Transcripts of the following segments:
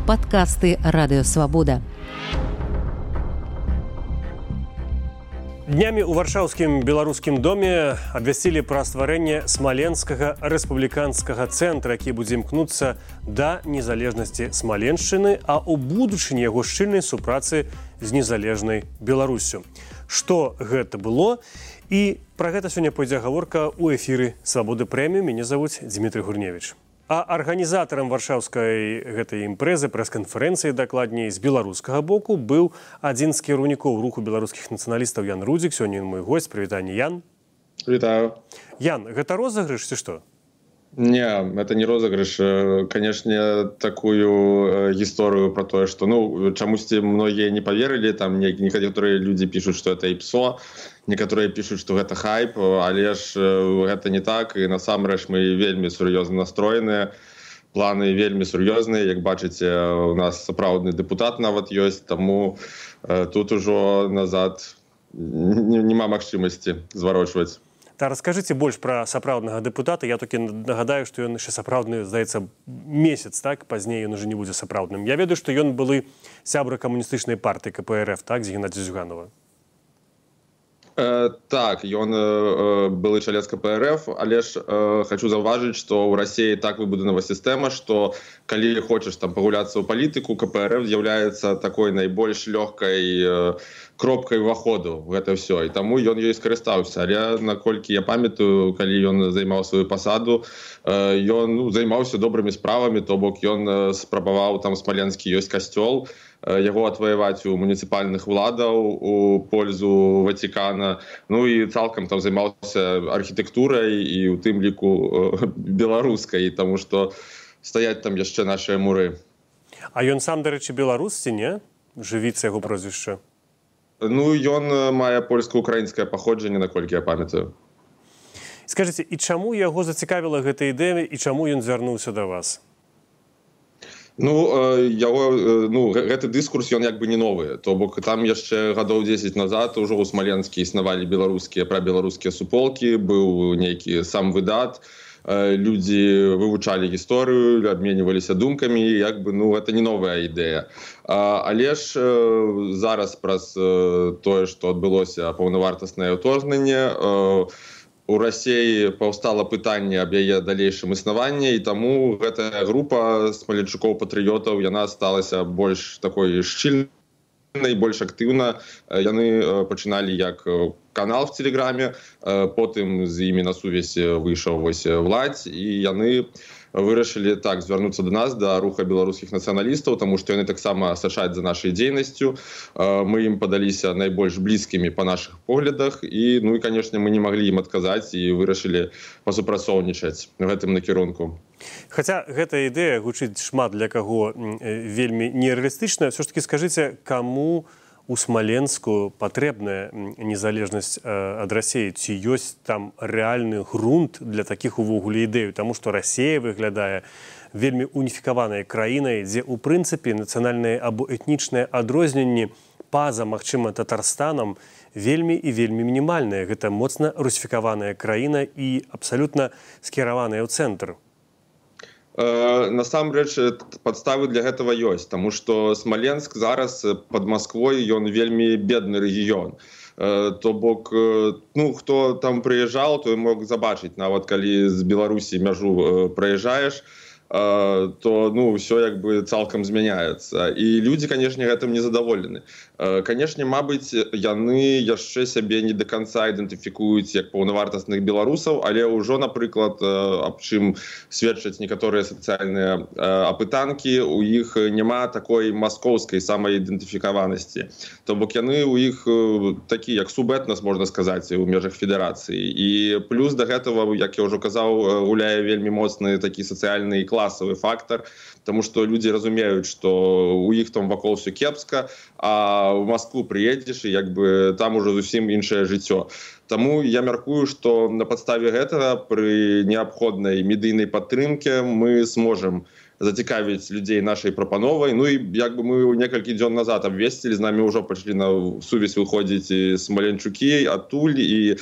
Падкасты Радыёвабода. Днямі ў варшаўскім беларускім доме абвясцілі пра стварэнне смаленскага рэспубліканскага цэнтра, які будзе імкнуцца да незалежнасці Смаленшчыны, а ў будучыні яго шчыльнай супрацы з незалежнай Беларусю. Што гэта было? І пра гэта сёння пойдзе гаворка ў эфіры Свабоды Прэміум. Мяне завуць Дмітрий Гурневіч. А арганізатарам варшаўскай гэтай імпрэзы, прэс-канферэнцыі, дакладней, з беларускага боку, быў адзін з кіраўнікоў руху беларускіх нацыяналістаў Ян Рудзік. Сёння ён мой госць. Прывітанне, Ян. Вітаю. Ян, гэта розыгрыш ці што? Не, это не розыгрыш. Конечно, такую гісторыю про тое, што, чамусьці многія не поверылі, там некаторыя людзі пішуць, што это іпсо, некаторыя пішуць, што гэта хайп, але ж гэта не так, і насамрэч мы вельмі сур'ёзна настроеныя, планы вельмі сур'ёзныя, як бачыце, у нас сапраўдны дэпутат нават ёсць, таму тут ужо назад няма магчымасці зварочваць. Та раскажыце больш пра сапраўднага дэпутата. Я толькі нагадаю, што ён яшчэ сапраўдны, здаецца, месяц, так? Пазней ён уже не будзе сапраўдным. Я ведаю, што ён былы сябра камуністычнай партыі КПРФ, так, з Геннадзя Зюганова. Так, ён былы чалец КПРФ, але ж хочу заўважыць, што ў Расіі так выбудавана сістэма, што калі хочаш там пагуляцца ў палітыку, КПРФ з'яўляецца такой найбольш лёгкай кропкай уваходу в гэта ўсё. І таму ён ёй скарыстаўся. Але наколькі я памятаю, калі ён займаў сваю пасаду, ён займаўся добрымі справамі, то бок ён спрабаваў, там смаленскі ёсць касцёл, яго адваяваць у муніцыпальных уладаў у пользу Ватикана. І цалкам там займаўся архітэктурай і у тым ліку беларускай, таму што стаяць там яшчэ нашыя муры. А ён сам, дарэчы, беларус ці не? Жывіца яго прозвішча. Ён мае польска-украінскае паходжанне, наколькі я памятаю. Скажыце, і чаму яго зацікавіла гэта ідэя, і чаму ён звярнуўся да вас? Гэты дыскурс, ён як бы не новы. То бок там яшчэ гадоў 10 назад ужо ў Смаленскі існавалі прабеларускія суполкі, быў нейкі сам выдат, людзі вывучалі гісторыю, абменьваліся думкамі, гэта не новая ідэя. Але ж зараз праз тое, што адбылося паўнавартаснае ўторгненне, у Расіі паўстала пытанне аб яе далейшым існаванні, і таму гэтая група смаленчукоў-патрыётаў, яна сталася больш такой шчыльнай, больш актыўна. Яны пачыналі як канал в Телеграме, потым з імі на сувязь выйшаў Владзь, і яны вырашылі так звярнуцца да нас, да руха беларускіх нацыяналістаў, таму што яны таксама сачаць за нашай дзейнасцю. Мы ім падаліся найбольш блізкімі па нашых поглядах, і, канешне, мы не маглі ім адказаць і вырашылі пасупрацоўнічаць гэтым накірунку. Хаця гэтая ідэя гучыць шмат для каго вельмі нерэалістычная, ўсё ж такі скажыце, каму у Смаленску патрэбная незалежнасць ад Расіі? Ці ёсць там рэальны грунт для такіх увогуле ідэй? Таму што Расія выглядае вельмі уніфікаванай краінай, дзе ў прынцыпе нацыянальныя або этнічныя адрозненні па-за, магчыма, Татарстанам вельмі і вельмі мінімальныя. Гэта моцна русіфікаваная краіна і абсалютна скіраваная ў цэнтр. Насамрэч, падставы для гэтага ёсць, таму што Смаленск зараз пад Масквой, ён вельмі бедны рэгіён. То бок, хто там прыязджаў, той мог забачыць, нават калі з Беларусі мяжу праязджаеш, то ўсё як бы цалкам змяняецца. І людзі, канешне, гэтым незадаволены. Канешне, мабыць, яны яшчэ сябе не да канца ідэнтыфікуюць як паўнавартасных беларусаў, але ўжо, напрыклад, аб чым сведчаць некаторыя сацыяльныя апытанкі, у іх няма такой маскоўскай самаідэнтыфікаванасці. То бок яны у іх такі, як субэтнас, можна сказаць, у межах федэрацыі. І плюс да гэтага, як я ўжо казаў, гуляе вельмі моцны такі сацыяльны і класавы фактар, таму што людзі разумеюць, што у іх там вакол все кепска, а в Москву прыедзеш, і як бы там ужо зусім іншае жыццё. Таму я мяркую, што на падставе гэтага пры неабходнай медыйнай падтрымке мы зможам зацікавіць людзей нашай прапановай. Ну і як бы мы некалькі дзён назад абвесцілі, з намі ўжо пачалі на сувязь выходзіць і смаленчукі адтуль, і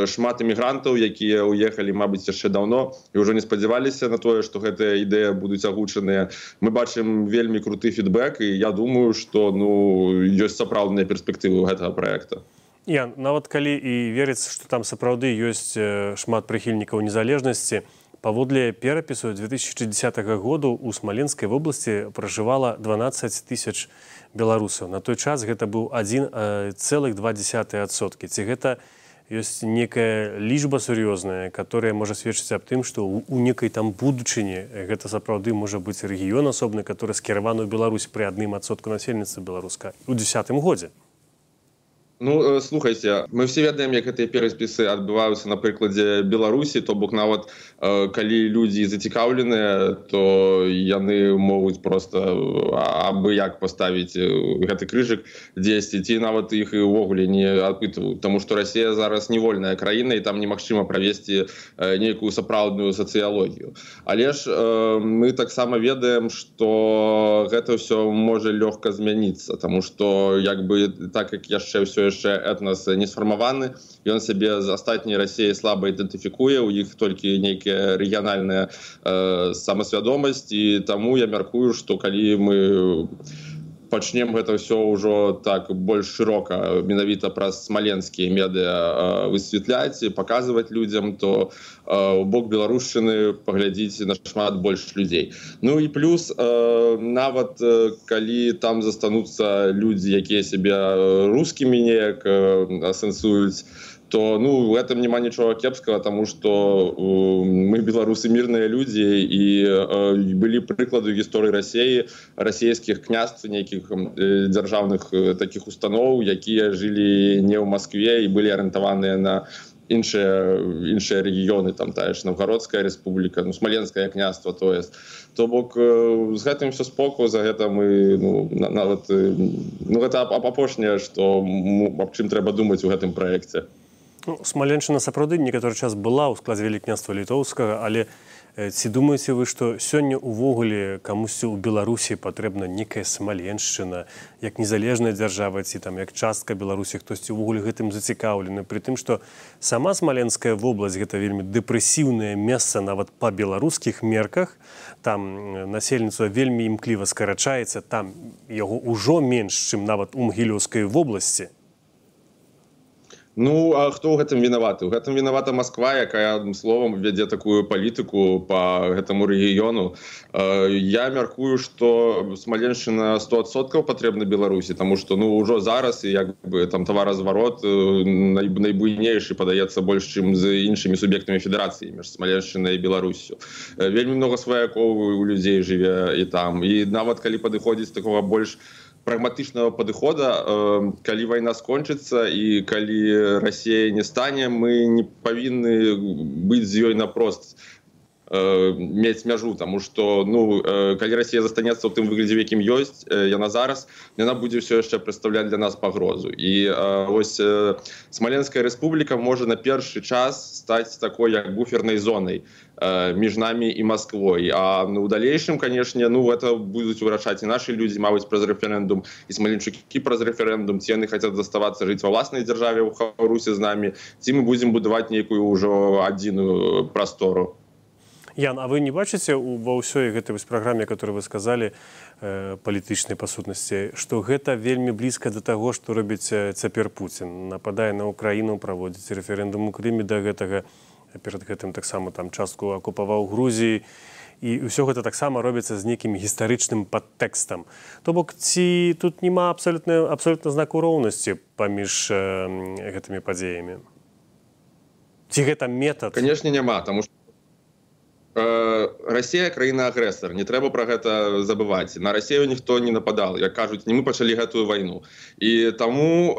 шмат эмігрантаў, якія уехалі, мабыць, яшчэ даўно і ўжо не спадзяваліся на тое, што гэтыя ідэі будуць агучаныя. Мы бачым вельмі круты фідбэк, і я думаю, што ёсць сапраўдныя перспектывы ў гэтага праекта. Ян, нават калі і верыцца, што там сапраўды ёсць шмат прыхільнікаў незалежнасці, паводле перапісу 2010 году у Смаленскай вобласці пражывала 12 тысяч беларусаў. На той час гэта быў 1,2%. Ці гэта ёсць некая лічба сур'ёзная, которая можа сведчыць аб тым, што у некай там будучыні гэта сапраўды можа быць рэгіён асобны, который скіраваны ў Беларусь пры 1% насельніцтва беларуска ў 2010 годзе. Ну, слухайце, мы все ведаем, як гэтыя перапісы адбываюцца на прыкладзе Беларусі, то бок нават калі людзі зацікаўленыя, то яны могуць просто абы як паставіць гэты крыжык дзесьці, ці нават іх і ўвогуле не апытваюць, таму што Расія зараз не вольная краіна і там немагчыма правесці нейкую сапраўдную сацыялогію. Але ж мы таксама ведаем, што гэта ўсё можа лёгка змяніцца, таму што як бы так як яшчэ ўсё яшчэ этнас не сфармаваны, ён сябе з астатняй Расіяй слаба ідэнтыфікуе, у іх толькі нейкая рэгіянальная самасвядомасць, і таму я мяркую, што калі мы пачнем гэта ўсё ўжо так больш шырока, менавіта праз смаленскія медыа высвятляць і паказваць людзям, то у бок беларушчыны паглядзіць нашмат больш людзей. Ну і плюс, нават калі там застануцца людзі, якія сябе рускімі неяк асэнсуюць, то в этом няма нічога кепскага, таму што мы беларусы мірныя людзі, і былі прыклады ў гісторыі Расіі, расійскіх княств, нейкіх дзяржаўных такіх устаноў, якія жылі не ў Маскве і былі арыентаваныя на іншыя рэгіёны, там тая ж Новгародская рэспубліка, Смаленскае княства, то бок з гэтым все споку, за гэта мы нават гэта апошняе, што аб чым трэба думаць у гэтым праекце. Смаленшчына сапраўды некаторы час была ў складзе Вялікняства Літоўскага, але ці думаеце вы, што сёння ўвогуле камусьці ў Беларусі патрэбна некая Смаленшчына, як незалежная дзяржава, ці там як частка Беларусі, хтосьці ўвогуле гэтым зацікаўлены, пры тым, што сама Смаленская вобласць гэта вельмі дэпрэсіўнае месца нават па беларускіх мерках, там насельніцтва вельмі імкліва скарачаецца, там яго ўжо менш, чым нават у Магілёўскай вобласці. А хто ў гэтым вінаваты? У гэтым вінавата Масква, якая, адным словам, вядзе такую палітыку па гэтаму рэгіёну. Я мяркую, што Смаленшчына 100% патрэбна Беларусі, таму што ўжо зараз і як бы там таваразварот найбуйнейшы, падаецца, больш, чым з іншымі суб'ектамі федэрацыі між Смаленшчынай і Беларуссю. Вельмі много сваякоў у людзей жыве і там. І нават калі падыходзіць такога больш прагматычнага падыхода, калі вайна скончыцца і калі Расія не стане, мы не павінны быць з ёй напрост мець мяжу, таму што калі Расія застанецца ў тым выглядзе, в якім ёсць яна зараз, яна будзе ўсё яшчэ прадстаўляць для нас пагрозу. І вось Смаленская рэспубліка можа на першы час стаць такой як буфернай зонай між намі і Масквой. А ў далейшым, канешне, это будуць вырашаць і нашы людзі, мабыць, праз рэферэндум, і смаленчукі праз рэферэндум, ці яны хацяць заставацца жыць ва ўласнай дзяржаве ў Хаўрусе з намі, ці мы будзем будаваць нейкую ўжо адзіную прастору. Ян, а вы не бачыце ва ўсёй гэтай праграме, которую вы сказалі, палітычнай па сутнасці, што гэта вельмі блізка да таго, што робіць цяпер Пуцін? Нападае на Украіну, праводзіць рэферэндум у Крыме да гэтага, перад гэтым таксама там частку акупаваў Грузіі, і ўсё гэта таксама робіцца з нейкім гістарычным падтэкстам. То бок, ці тут няма абсолютна знаку роўнасці паміж гэтымі падзеямі? Ці гэта метад? Канешне, няма, таму што Расія краіна-агрэсар, не трэба пра гэта забываць. На Расію ніхто не нападал, як кажуць, не мы пачалі гэтую вайну. І таму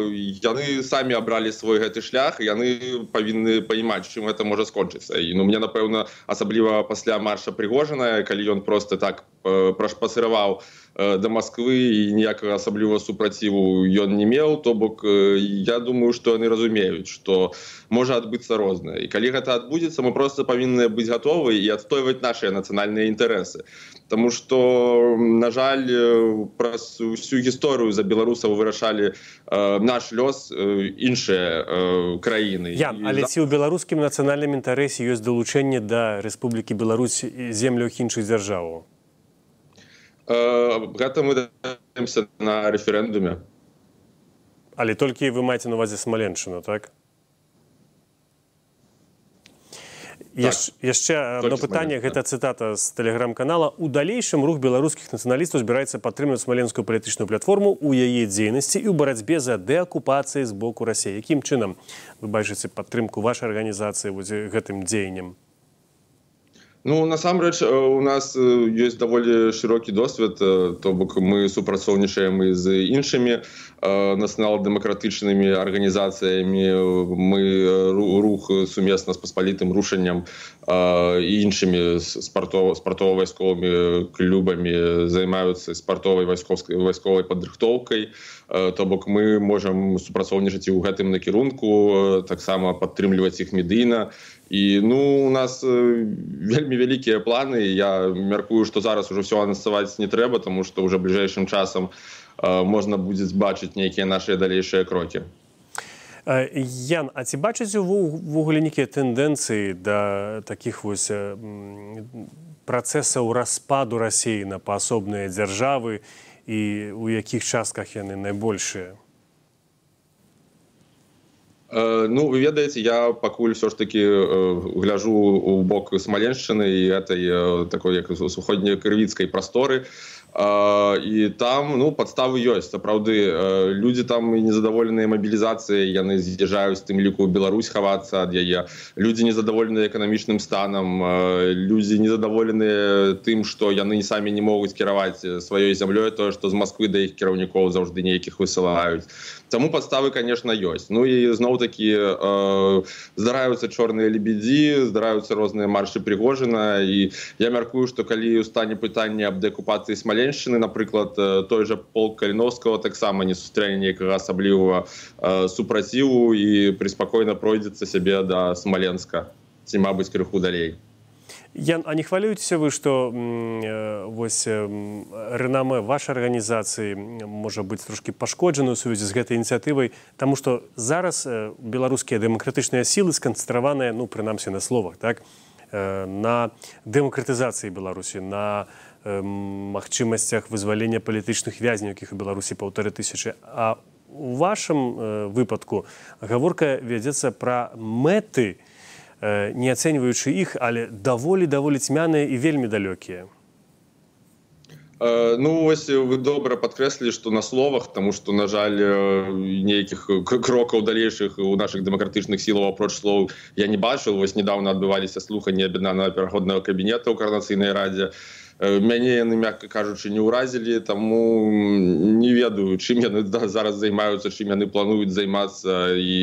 яны самі абралі свой гэты шлях, і яны павінны паімаць, чым гэта можа скончыцца. І мне, напэўна, асабліва пасля марша Прыгожина, калі ён проста так прашпасыраваў до Москвы і ніякага асаблівага супраціву ён не меў, то бок я думаю, што яны разумеюць, што можа адбыцца рознае. І калі гэта адбудзецца, мы проста павінны быць гатовы і адстойваць нашыя нацыянальныя інтарэсы. Таму што, на жаль, праз усю гісторыю за беларусаў вырашалі наш лёс іншыя краіны. Ян, але ці ў беларускім нацыянальным інтарэсе ёсць далучэнне да Рэспублікі Беларусь земляў іншых дзяржаваў? Гэта мы даемся на рэферэндуме. Але толькі вы маеце на увазе Смаленшчыну, так? Яшчэ одно пытанне, гэта цытата з тэлеграм-канала. У далейшым рух беларускіх нацыяналістаў збіраецца падтрымліваць смаленскую палітычную платформу ў яе дзейнасці і ў барацьбе за дэакупацыі з боку Расіі. Якім чынам вы бачыце падтрымку вашай арганізацыі гэтым дзеяннем? Ну, насамрэч, у нас ёсць даволі шырокі досвед, то бок мы супрацоўнічаем і з іншымі нацыянал-дэмакратычнымі арганізацыямі, мы рух сумесна з паспалітым рушаннем і іншымі спартова-вайсковымі клубамі займаюцца спартовай вайсковай падрыхтоўкай, то бок мы можам супрацоўнічаць і ў гэтым накірунку, таксама падтрымліваць іх медыйна. І, у нас вельмі вялікія планы. Я мяркую, што зараз ужо ўсё анансаваць не трэба, таму што ўжо бліжэйшым часам можна будзе бачыць нейкія нашыя далейшыя крокі. Ян, а ці бачыце ўвогуле нейкія тэндэнцыі да такіх вось працэсаў распаду Расіі на паасобныя дзяржавы і ў якіх частках яны найбольшыя? Ну, вы ведаеце, я пакуль все ж таки гляжу у бок Смаленшчыны і этой такой як суходнекрывіцкай прасторы. І там, падставы ёсць. Сапраўды, людзі там незадаволеныя мабілізацыяй, яны з'язджаюць, тым ліку ў Беларусь хавацца ад яе. Людзі незадаволеныя эканамічным станам, людзі незадаволеныя тым, што яны самі не могуць кіраваць сваёй зямлёй, тое, што з Масквы да іх кіраўнікоў заўжды нейкіх высылаюць. Таму падставы, конечно, ёсць. Ну і зноў-такі здараюцца чорныя лебедзі, здараюцца розныя маршы Прыгожына, і я мяркую, што калі стане пытанне аб дэакупацыі Смаленшчыны, напрыклад, той жа полк Каліновскага таксама не сустрэне нейкага асаблівага супраціву і преспакойна пройдзецца сябе да Смаленска, ці, мабыць, крыху далей. Ян, а не хвалюецеся вы, што рэнамэ вашай арганізацыі можа быць трошкі пашкоджана ў сувязі з гэтай ініцыятывай, таму што зараз беларускія дэмакратычныя сілы сканцэнтраваныя, прынамсі на словах, так, на дэмакратызацыі Беларусі, на магчымасцях вызвалення палітычных вязняў, якіх у Беларусі 1500. А у вашым выпадку гаворка вядзецца пра мэты, не ацэньваючы іх, але даволі цьмяныя і вельмі далёкія. Вось вы добра падкрэслілі, што на словах, таму што, на жаль, нейкіх крокаў далейшых у нашых дэмакратычных сілаў апроч слоў я не бачыў. Вось недавно адбываліся слуханні аб'яднанага пераходнага кабінета ў Коардынацыйнай радзе. Мяне яны, мякка кажучы, не ўразілі, таму не ведаю, чым яны зараз займаюцца, чым яны плануюць займацца і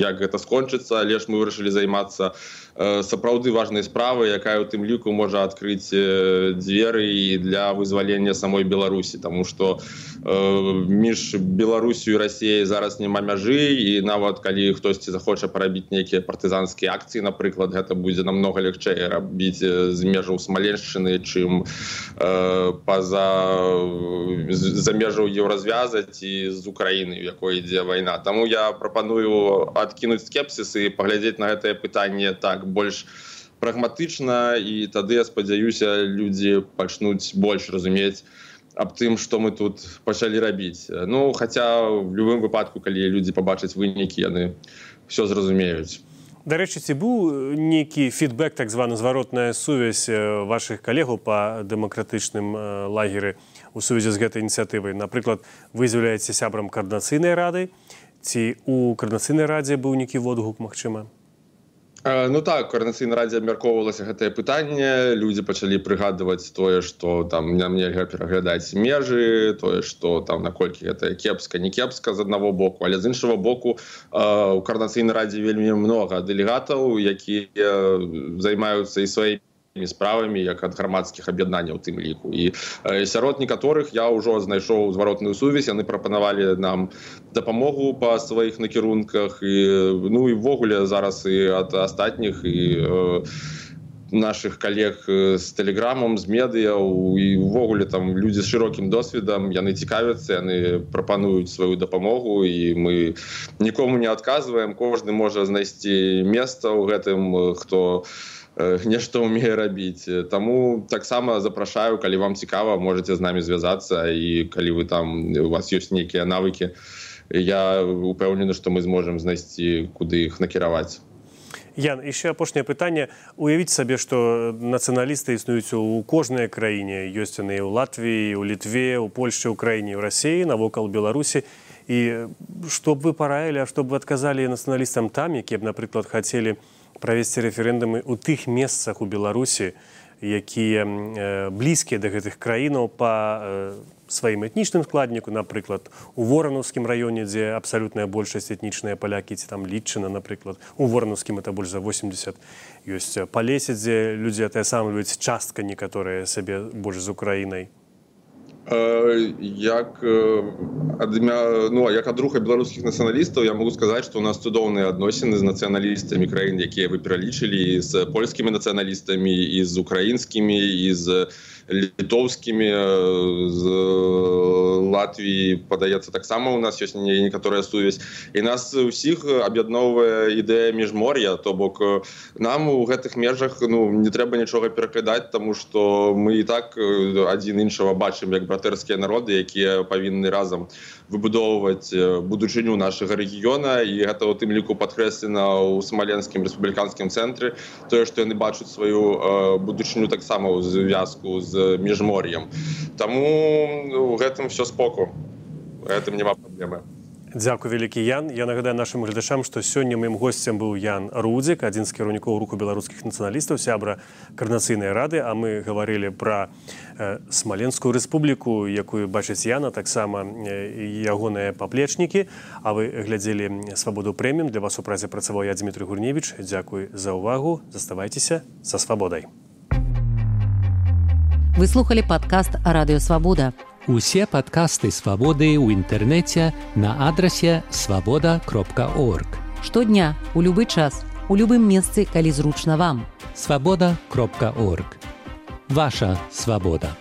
як гэта скончыцца, але ж мы вырашылі займацца сапраўды важнай справай, якая ў тым ліку можа адкрыць дзверы і для вызвалення самой Беларусі, таму што між Беларусю і Расіяй зараз няма мяжы, і нават калі хтосьці захоча парабіць нейкія партызанскія акцыі, напрыклад, гэта будзе намнога лягчэй рабіць з межаў Смаленшчыны, чым за межаў еўразвязаць і з Украіны, у якой ідзе вайна. Таму я прапаную адкінуць скепсіс і паглядзець на гэтае пытанне так больш прагматычна, і тады, я спадзяюся, людзі пачнуць больш разумець аб тым, што мы тут пачалі рабіць. Хаця в любым выпадку, калі людзі пабачаць вынікі, яны ўсё зразумеюць. Дарэчы, ці быў нейкі фідбэк, так званы зваротная сувязь вашых калегаў па дэмакратычным лагеры у сувязі з гэтай ініцыятывай? Напрыклад, вы з'яўляецеся сябрам Коардынацыйнай рады, ці ў Коардынацыйнай радзе быў нейкі водгук, магчыма? Так, Коардынацыйнай радзе абмяркоўвалася гэтае пытанне, людзі пачалі прыгадваць тое, што там нам нельга пераглядаць межы, тое, што там наколькі гэта кепска, не кепска з аднаго боку, але з іншага боку у Коардынацыйнай радзе вельмі многа дэлегатаў, якія займаюцца і сваімі справамі, як ад грамадскіх аб'яднанняў у тым ліку. І сярод некаторых я ўжо знайшоў зваротную сувязь, яны прапанавалі нам дапамогу па сваіх накірунках, і ввогуле зараз і ад астатніх і наших калег з тэлеграмам, з медыяў, і ўвогуле там людзі з шырокім досведам, яны цікавяцца, яны прапануюць сваю дапамогу, і мы нікому не адказваем, кожны можа знайсці месца ў гэтым, хто нешта ўмее рабіць. Таму таксама запрашаю, калі вам цікава, можаце з намі звязацца, і калі вы там, у вас ёсць нейкія навыкі, я упэўнены, што мы зможам знайсці, куды іх накіраваць. Ян, яшчэ апошняе пытанне. Уявіць сабе, што нацыяналісты існуюць у кожнай краіне. Ёсць яны ў Латвіі, у Літве, у Польшчы, Украіне, ў Расіі, навокал Беларусі. І што б вы параілі, а што б вы адказалі нацыяналістам там, якія б, напрыклад, хацелі правесці рэферэндумы ў тых месцах у Беларусі, якія блізкія да гэтых краінаў па сваім этнічным складніку, напрыклад, у Воранаўскім раёне, дзе абсалютная большасць этнічныя палякі, ці там Літчына, напрыклад. У Воранаўскім это больш за 80. Ёсць Палесе, дзе людзі тая сама любяць, частка некаторыя сабе больш з Украінай. Як ад руха беларускіх нацыяналістаў я могу сказаць, што у нас цудоўныя адносіны з нацыяналістамі краін, якія вы пералічылі, з польскімі нацыяналістамі, і з украінскімі, і з літоўскімі, з Латвіі, падаецца, таксама у нас ёсць некаторая сувязь. І нас усіх аб'ядноўвае ідэя міжмор'я, то бок нам у гэтых межах не трэба нічога перакладаць, таму што мы і так адзін іншага бачым як братэрскія народы, якія павінны разам выбудоўваць будучыню нашага рэгіёна, і гэта ў тым ліку падкрэслена ў Смаленскім рэспубліканскім цэнтры, тое, што яны бачаць сваю будучыню таксама ў звязку з міжмор'ем. Таму у гэтым все споку. У гэтым няма праблемы. Дзякуй вялікі, Ян. Я нагадаю нашым гледачам, што сёння маім госцем быў Ян Рудзік, адзін з кіраўнікоў руху беларускіх нацыяналістаў, сябра Каардынацыйнай рады, а мы гаварылі пра Смаленскую рэспубліку, якую бачыць Яна, таксама ягоныя паплечнікі. А вы глядзелі «Свабоду прэміум». Для вас у празе працаваў я, Дмітрый Гурневіч. Дзякуй за ўвагу. Заставайцеся са свабодай. Вы слухали падкаст «Радыё Свабода». Усе падкасты «Свабоды» ў інтэрнэце на адрасе свабода.орг. Штодня, у любы час, у любым месцы, калі зручна вам. Свабода.орг. Ваша свабода.